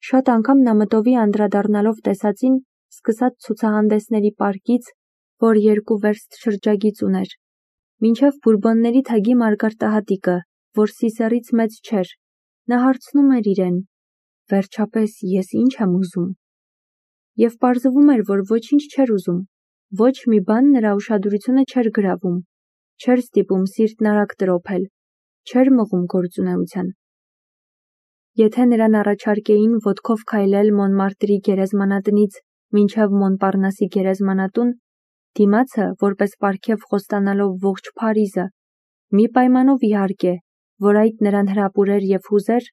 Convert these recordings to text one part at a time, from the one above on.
Շատ անգամ նա մտովի անդրադառնալով տեսածին, սկսած ցուցահանդեսների պարկից, որ 2 վերստ շրջագիծ ուներ, մինչև բուրբոնների թագի մարգարտահատիկը, որ Սիսեռից մեծ չէր, նա հարցնում էր իրեն. «Վերջապես ես ինչ եմ ուզում»։ Եվ պարզվում էր, որ ոչինչ չէր ուզում, ոչ մի բան նրա ուշադրությունը չէր գրավում, չէր ստիպում սիրտն արագ տրոփել, չէր մղում գործունեության։ Եթե նրան առաջարկեին ոտքով քայլել Մոնմարտրի գերեզմանատնից մինչև Մոնպարնասի գերեզմանատուն, դիմացը, որպես պարգև խոստանալով ողջ Փարիզը, մի պայմանով իհարկե, որ այդ նրան հրապուրեր և հուզեր,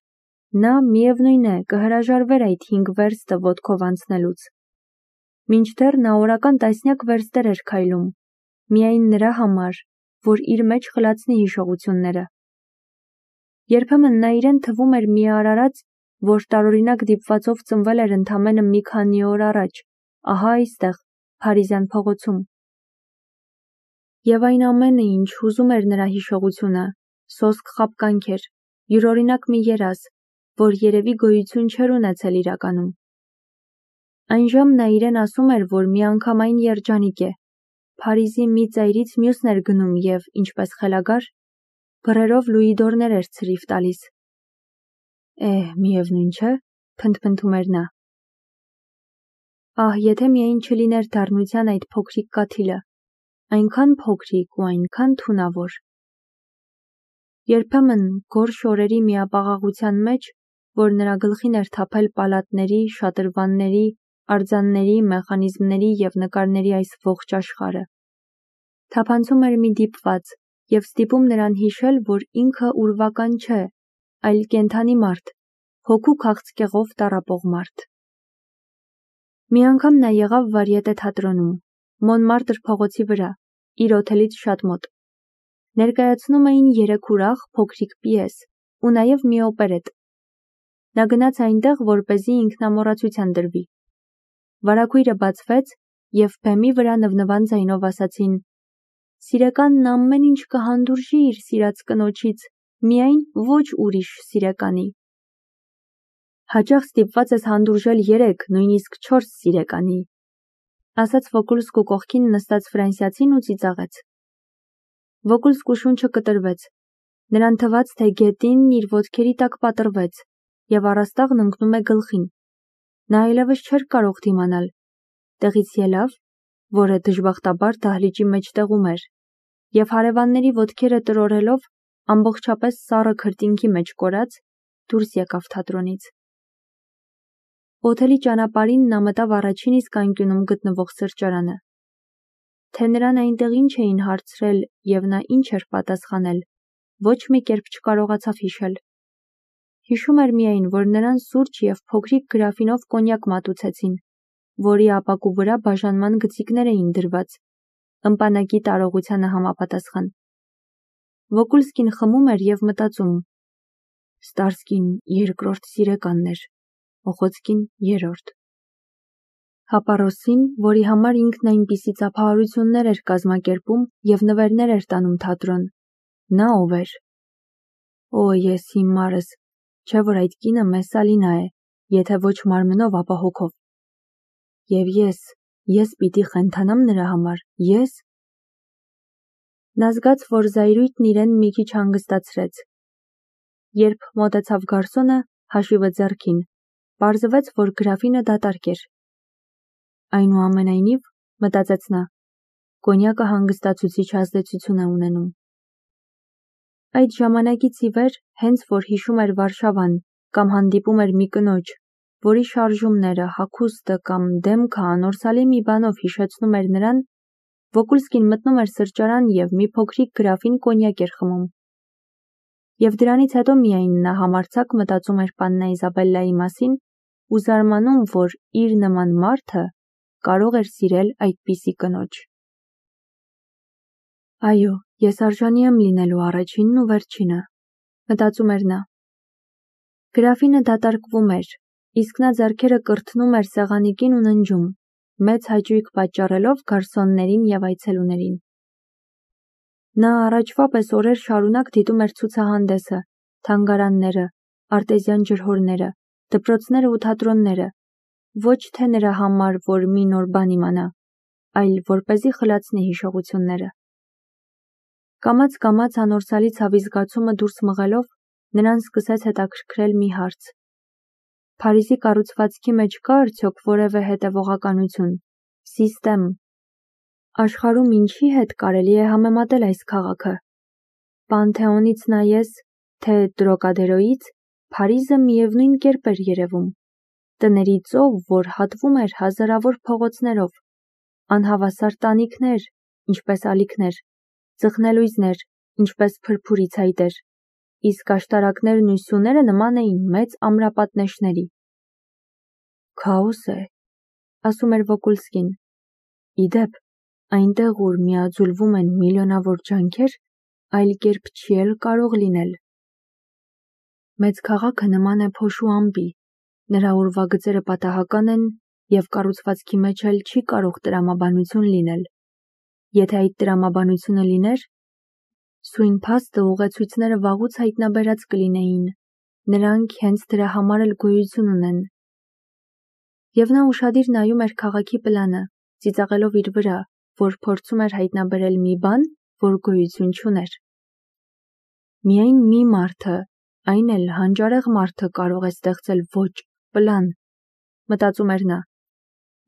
նա միևնույն է կհրաժարվեր այդ 5 վերստը ոտքով անցնելուց։ Մինչդեռ նա օրական տասնյակ վերստեր էր քայլում, միայն նրա համար, որ իր մեջ խլացնի հիշողությունները։ Երբեմն նա իրեն թվում էր մի արարած, որ տարօրինակ դիպվածով ծնվել էր ընդամենը մի քանի օր առաջ, ահա այստեղ, Փարիզյան փողոցում։ Եվ այն ամենը, ինչ հուզում էր նրա հիշողությունը, սոսկ խաբկանք էր, յուրօրինակ մի երազ, որ երևի գոյություն չէր ունեցել իրականում։ Այնժամ նա իրեն ասում էր, որ միանգամայն երջանիկ է, Փարիզի մի ծայրից մյուսն էր գնում և, ինչպես խելագար, բռերով լուիդորներ էր ցրիվ տալիս։ Միևնույն չէ, փնթփնթում էր նա։ Ահ, եթե միայն չլիներ դառնության այդ փոքրիկ կաթիլը, այնքան փոքրիկ ու այնքան թունավոր։ Երբեմն գորշ օրերի միապաղաղության մեջ, որ նրա գլխին էր թափել պալատների, շատրվանների, արձանների, մեխանիզմների և նկարների այս ողջ աշխարհը, թափանցում էր մի դիպված և ստիպում նրան հիշել, որ ինքը ուրվական չէ, այլ կենդանի մարդ, հոգու քաղցկեղով տառապող մարդ։ Մի անգամ նա եղավ Վարիետե թատրոնում, Մոնմարտր փողոցի վրա, իր օթելից շատ մոտ։ Ներկայացնում էին 3 ուրախ, փոքրիկ պիես ու նաև մի օպերետ։ Նա գնաց այնտեղ, որպեսզի ինքնամոռացության դրվի։ Վարագույրը բացվեց, և բեմի վրա նվնվան ձայնով ասացին. «Սիրեկանն ամեն ինչ կհանդուրժի իր սիրած կնոջից, միայն ոչ ուրիշ սիրեկանի»։ Հաճախ ստիպված ես հանդուրժել 3, նույնիսկ 4 սիրեկանի, ասաց Վոկուլսկու կողքին նստած ֆրանսիացին ու ծիծաղեց։ Վոկուլսկու շունչը կտրվեց, նրան թվաց, թե գետինն իր ոտքերի տակ պատռվեց, և առաստաղն ընկնում է գլխին։ Նա այլևս չէր կարող դիմանալ, տեղից ելավ, որը դժբախտաբար դահլիճի մեջտեղում էր, և հարևանների ոտքերը տրորելով, ամբողջապես սառը քրտինքի մեջ կորած, դուրս եկավ թատրոնից։ Օթելի ճանապարհին նա մտավ առաջին իսկ անկյունում գտնվող սրճարանը։ Թե նրան այնտեղ ինչ էին հարցրել և նա ինչ էր պատասխանել, ոչ մի կերպ չկարողացավ հիշել։ Հիշում էր միայն, որ նրան սուրճ և փոքրիկ գրաֆինով կոնյակ մատուցեցին, որի ապակու վրա բաժանման գծիկներ էին դրված, ըմպանակի տարողությանը համապատասխան։ Վոկուլսկին խմում էր և մտածում. Ստարսկին 2-րդ սիրեկանն էր, Օխոցկին 3-րդ։ Հապարոսին, որի համար ինքն այնպիսի ծափահարություններ էր կազմակերպում և նվերներ էր տանում թատրոն, նա ով էր։ Օ, ես հիմարս, չէ որ այդ կինը Մեսսալինա է, եթե ոչ մարմնով, ապա հոգով։ Եվ ես պիտի խենթանամ նրա համար, ես։ Նա զգաց, որ զայրույթն իրեն մի քիչ հանգստացրեց։ Երբ մոտեցավ գարսոնը, հաշիվը ձեռքին, պարզվեց, որ գրաֆինը դատարկ էր։ Այնուամենայնիվ, մտածեց նա, կոնյակը հանգստացուցիչ ազդեցություն է ունենում։ Այդ ժամանակից ի վեր, հենց որ հիշում էր Վարշավան կամ հանդիպում էր մի կնոջ, որի շարժումները, հագուստը կամ դեմքը անորսալի մի բանով հիշեցնում էր նրան, Վոկուլսկին մտնում էր սրճարան և մի փոքրիկ գրաֆին կոնյակ էր խմում։ Եվ դրանից հետո միայն նա համարձակ մտածում էր պաննա Իզաբելլայի մասին ու զարմանում, որ իր նման մարդը կարող էր սիրել այդպիսի կնոջ։ Այո, ես արժանի եմ լինելու առաջինն ու վերջինը, մտածում էր նա։ Գրաֆինը դատարկվում էր, իսկ նա ձեռքերը կրթնում էր սեղանիկին ու ննջում, մեծ հաճույք պատճառելով գարսոններին և այցելուներին։ Նա առաջվա պես օրեր շարունակ դիտում էր ցուցահանդեսը, թանգարանները, արտեզյան ջրհորները, դպրոցները ու թատրոնները, ոչ թե նրա համար, որ մի նոր բան իմանա, այլ որպեսզի խլացնի հիշողությունները։ Կամաց-կամաց անորսալի ցավի զգացումը դուրս մղելով, նրան սկսեց հետաքրքրել մի հարց. Փարիզի կառուցվածքի մեջ կա արդյոք որևէ հետևողականություն, սիստեմ։ Աշխարհում ինչի հետ կարելի է համեմատել այս քաղաքը։ Պանթեոնից նայես, թե Տրոկադերոյից, Փարիզը միևնույն կերպ էր երևում։ Տների ծով, որ հատվում էր հազարավոր փողոցներով, անհավասար տանիքներ, ինչպես ալիքներ, ծխնելույզներ, ինչպես փրփուրի ցայտեր, իսկ աշտարակներն ու սյուները նման էին մեծ ամրապատնեշների։ Քաոս է, ասում էր Վոկուլսկին։ Իդեպ, այնտեղ, ուր միաձուլվում են միլիոնավոր ջանքեր, այլ կերպ չի էլ կարող լինել։ Մեծ քաղաքը նման է փոշու ամպի, նրա ուրվագծերը պատահական են և կառուցվածքի մեջ էլ չի կարող տրամաբանություն լինել։ Եթե այդ տրամաբանությունը լիներ, սույն փաստը ուղեցույցները վաղուց հայտնաբերած կլինեին, նրանք հենց դրա համար էլ գոյություն ունեն։ Եվ նա ուշադիր նայում էր քաղաքի պլանը, ծիծաղելով իր վրա, որ փորձում էր հայտնաբերել մի բան, որ գոյություն չուներ։ Միայն մի մարդը, այն էլ հանճարեղ մարդը կարող է ստեղծել ոչ պլան, մտածում էր նա,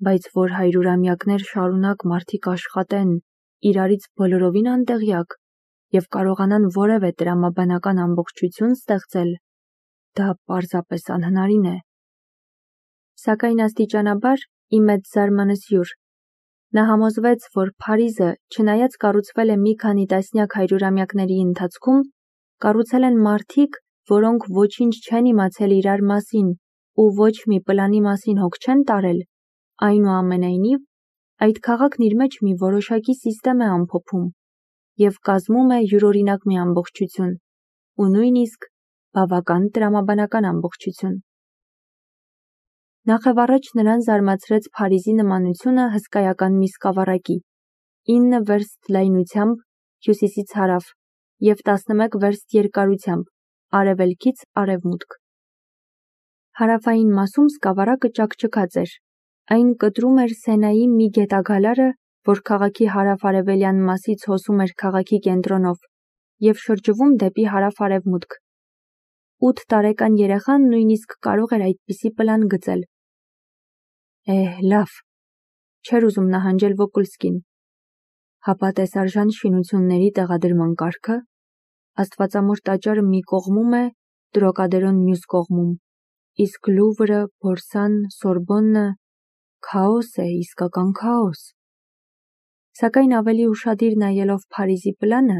բայց որ հարյուրամյակներ շարունակ մարդիկ աշխատեն, իրարից բոլորովին անտեղյակ և կարողանան որևէ տրամաբանական ամբողջություն ստեղծել, դա պարզապես անհնարին է։ Սակայն աստիճանաբար, ի մեծ զարմանս յուր, նա համոզվեց, որ Փարիզը, չնայած կառուցվել է մի քանի տասնյակ հարյուրամյակների ընթացքում, կառուցել են մարդիկ, որոնք ոչինչ չեն իմացել իրար մասին ու ոչ մի պլանի մասին հոգ չեն տարել, այնուամենայնիվ, այդ քաղաքն իր մեջ մի որոշակի սիստեմ է ամփոփում և կազմում է յուրօրինակ մի ամբողջություն ու նույնիսկ բավական տրամաբանական ամբողջություն։ Նախևառաջ նրան զարմացրեց Փարիզի նմանությունը հսկայական մի սկավառակի, 9 վերստ լայնությամբ հյուսիսից հարավ և 11 վերստ երկարությամբ արևելքից արևմուտք։ Հարավային մասում սկավառակը ճաքճքած էր, այն կտրում էր Սենայի մի գետագալարը, որ քաղաքի հարավ-արևելյան մասից հոսում էր քաղաքի կենտրոնով և շրջվում դեպի հարավ-արևմուտք։ 8 տարեկան երեխան նույնիսկ կարող էր այդպիսի պլան գծել։ Լավ, չէր ուզում նահանջել Վոկուլսկին։ Հապա տեսարժան շինությունների տեղադրման կարգը, Աստվածամոր տաճարը մի կողմում է, Տրոկադերոն մյուս կողմում, իսկ Լուվրը, Բորսան, Սորբոննը, քաոս է, իսկական քաոս։ Սակայն ավելի ուշադիր նայելով Փարիզի պլանը,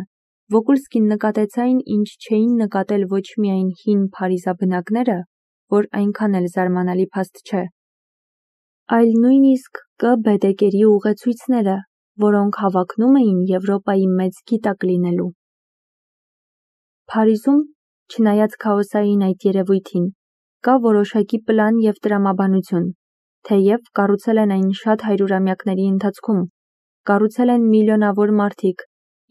Վոկուլսկին նկատեց այն, ինչ չէին նկատել ոչ միայն հին փարիզաբնակները, որ այնքան էլ զարմանալի փաստ չէ, այլ նույնիսկ Կ. Բեդեկերի ուղեցույցները, որոնք հավակնում էին Եվրոպայի մեծ գիտակ լինելու։ Փարիզում, չնայած քաոսային այդ երևույթին, կա որոշակի պլան և տրամաբանություն, թեև կառուցել են այն շատ հարյուրամյակների ընթացքում, կառուցել են միլիոնավոր մարդիկ,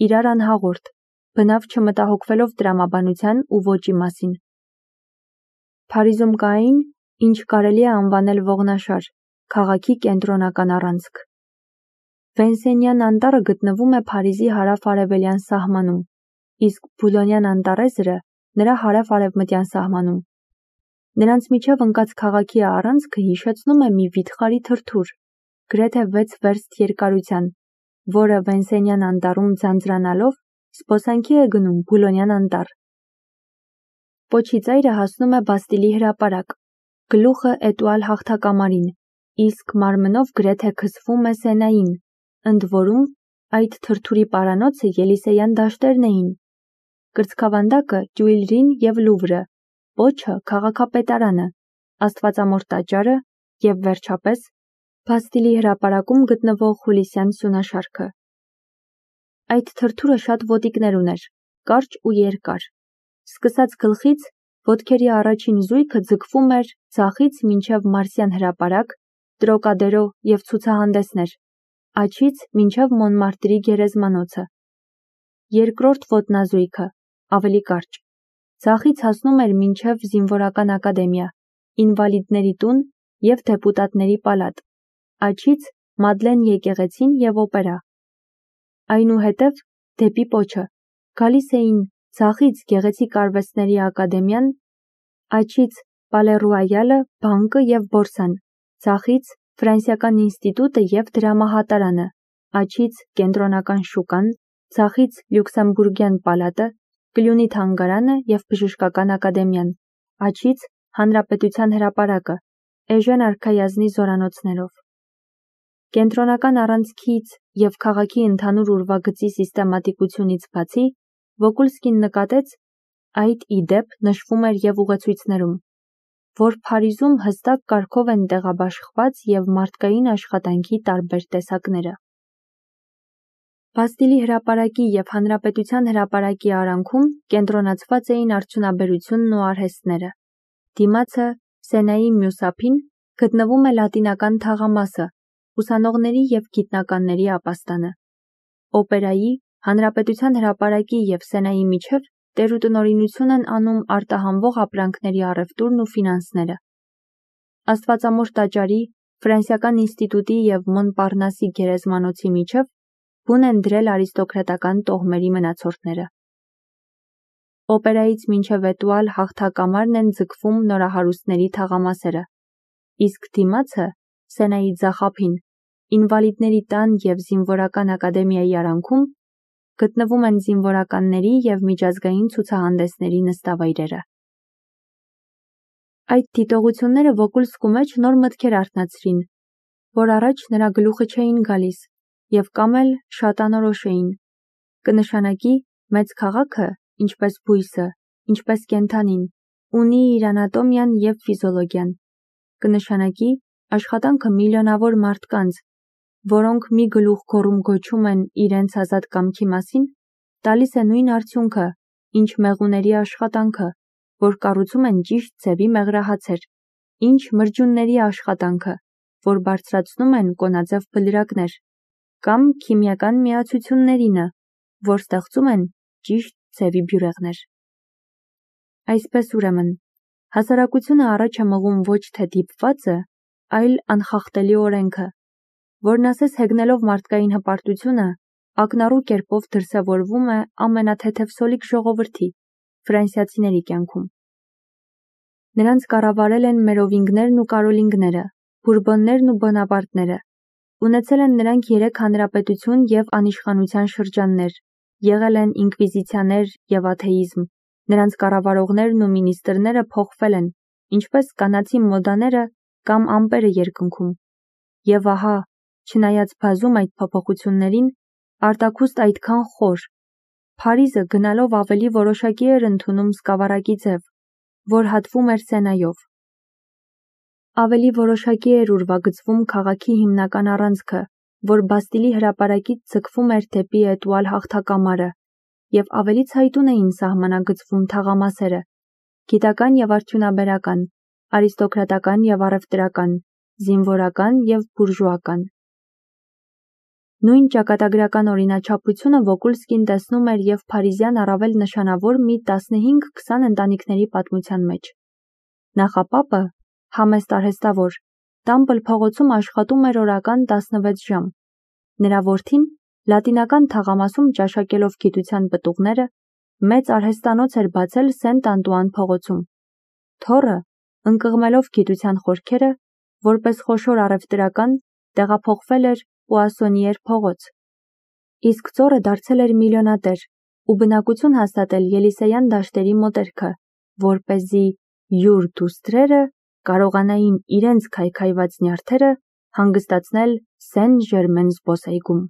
իրար անհաղորդ, բնավ չմտահոգվելով տրամաբանության ու ոճի մասին։ Փարիզում կա այն, ինչ կարելի է անվանել ողնաշար, քաղաքի կենտրոնական առանցք։ Վենսենյան անտառը գտնվում է Փարիզի հարավ-արևելյան սահմանում, իսկ Բուլոնյան անտառեզրը նրա հարավ-արևմտյան սահմանում։ Նրանց միջև ընկած քաղաքի առանցքը հիշեցնում է մի վիթխարի թրթուր, գրեթե 6 վերստ երկարության, որը Վենսենյան անտառում ձանձրանալով զբոսանքի է գնում Բուլոնյան անտառ։ Պոչի ծայրը հասնում է Բաստիլի հրապարակ, գլուխը Էտուալ հաղթակամարին, իսկ մարմնով գրեթե քսվում է Սենային, ընդ որում այդ թրթուրի պարանոցը Ելիսեյան դաշտերն էին, կրծքավանդակը Տյուիլրին և Լուվրը, պոչը քաղաքապետարանը, Աստվածամոր տաճարը և վերջապես Բաստիլի հրապարակում գտնվող Հուլիսյան սյունաշարքը։ Այդ թրթուրը շատ ոտիկներ ուներ, կարճ ու երկար։ Սկսած գլխից, ոտքերի առաջին զույգը ձգվում էր ձախից մինչև Մարսյան հրապարակ, Տրոկադերո և ցուցահանդեսներ, աջից մինչև Մոնմարտրի գերեզմանոցը։ Երկրորդ ոտնազույգը, ավելի կարճ, ձախից հասնում էր մինչև Զինվորական ակադեմիա, ինվալիդների տուն և դեպուտատների պալատ, աջից Մադլեն եկեղեցին և օպերա։ Այնուհետև դեպի պոչը գալիս էին ձախից գեղեցիկ արվեստների ակադեմիան, աջից Պալե Ռոյալը, բանկը և բորսան, ձախից Ֆրանսիական ինստիտուտը և դրամահատարանը, աջից կենտրոնական շուկան, ձախից Լյուքսեմբուրգյան պալատը, կլյունի թանգարանը և բժշկական ակադեմիան, աջից Հանրապետության հրապարակը, Էժեն արքայազնի զորանոցներով։ Կենտրոնական առանցքից և քաղաքի ընդհանուր ուրվագծի սիստեմատիկությունից բացի, Վոկուլսկին նկատեց, այդ ի դեպ նշվում էր և ուղեցույցներում, որ Փարիզում հստակ կարգով են տեղաբաշխված և մարդկային աշխատանքի տարբեր տեսակները։ Բաստիլի հրապարակի և Հանրապետության հրապարակի արանքում կենտրոնացված էին արդյունաբերությունն ու արհեստները։ Դիմացը Սենայի մյուս ափին գտնվում է Լատինական թաղամասը, ուսանողների և գիտնականների ապաստանը։ Օպերայի, Հանրապետության հրապարակի և Սենայի միջև տերուտնօրինություն են անում արտահանվող ապրանքների առևտուրն ու ֆինանսները։ Աստվածամոր տաճարի, Ֆրանսիական ինստիտուտի և Մոնպարնասի գերեզմանոցի միջև բուն են դրել արիստոկրատական տոհմերի մնացորդները։ Օպերայից մինչև էտուալ հաղթակամարն են ձգվում նորահարուստների թաղամասերը, իսկ դիմացը Սենայի ձախ ափին, ինվալիդների տան և զինվորական ակադեմիայի արանքում գտնվում են զինվորականների և միջազգային ցուցահանդեսների նստավայրերը։ Այդ դիտողությունները Վոկուլսկու մեջ նոր մտքեր արթնացրին, որ առաջ նրա գլուխը չէին գալիս և կամ էլ շատ անորոշ էին։ Կնշանակի մեծ քաղաքը, ինչպես բույսը, ինչպես կենդանին, ունի իր անատոմիան և ֆիզիոլոգիան։ Կնշանակի աշխատանքը միլիոնավոր մարդկանց, որոնք մի գլուխ գոռում գոչում են իրենց ազատ կամքի մասին, տալիս է նույն արդյունքը, ինչ մեղուների աշխատանքը, որ կառուցում են ճիշտ ձևի մեղրահացեր, ինչ մրջյունների աշխատանքը, որ բարձրացնում են կոնաձև բլրակներ, կամ քիմիական միացություններինը, որ ստեղծում են ճիշտ ձևի բյուրեղներ։ Այսպես ուրեմն, հասարակությունը առաջ է մղում ոչ թե դիպվածը, այլ անխախտելի օրենքը, որն ասես հեգնելով մարդկային հպարտությունը, ակնառու կերպով դրսևորվում է ամենաթեթևսոլիկ ժողովրդի՝ ֆրանսիացիների կյանքում։ Նրանց կառավարել են մերովինգներն ու կարոլինգները, բուրբոններն ու բոնապարտները, ունեցել են նրանք 3 հանրապետություն և անիշխանության շրջաններ, եղել են ինկվիզիցիաներ և աթեիզմ, նրանց կառավարողներն ու մինիստրները փոխվել են, ինչպես կանացի մոդաները կամ ամպերը երկնքում։ Եվ ահա, չնայած բազում այդ փոփոխություններին, արտաքուստ այդքան խոր, Փարիզը գնալով ավելի որոշակի էր ընդունում սկավառակի ձև, որ հատվում էր Սենայով։ Ավելի որոշակի էր ուրվագծվում քաղաքի հիմնական առանցքը, որ Բաստիլի հրապարակից ձգվում էր դեպի էտուալ հաղթակամարը, և ավելի ցայտուն էին սահմանագծվում թաղամասերը՝ գիտական և արդյունաբերական, արիստոկրատական և առևտրական, զինվորական և բուրժուական։ Նույն ճակատագրական օրինաչափությունը Վոկուլսկին տեսնում էր և փարիզյան առավել նշանավոր մի 15-20 ընտանիքների պատմության մեջ։ Նախապապը, համեստ արհեստավոր, Տամպլ փողոցում աշխատում էր օրական 16 ժամ։ Նրա որդին, Լատինական թաղամասում ճաշակելով գիտության պտուղները, մեծ արհեստանոց էր բացել Սենտ Անտուան փողոցում։ Թոռը, ընկղմելով գիտության խորքերը, որպես խոշոր առևտրական, տեղափոխվել էր Պուասոնիեր փողոց։ Իսկ ծոռը դարձել էր միլիոնատեր ու բնակություն հաստատել Ելիսեյան դաշտերի մոտերքը, որպեսզի յուր դուստրերը կարողանային իրենց քայքայված նյարդերը հանգստացնել Սեն Ժերմեն զբոսայգում։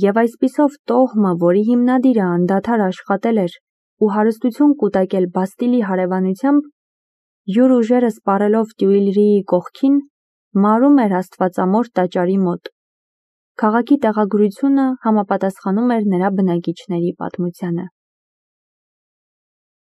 Եվ այսպիսով տոհմը, որի հիմնադիրը անդադար աշխատել էր ու հարստություն կուտակել Բաստիլի հարևանությամբ, յուր ուժերը սպառելով Տյուիլրիի կողքին, մարում էր Աստվածամոր տաճարի մոտ։ Քաղաքի տեղագրությունը համապատասխանում էր նրա բնակիչների պատմությանը։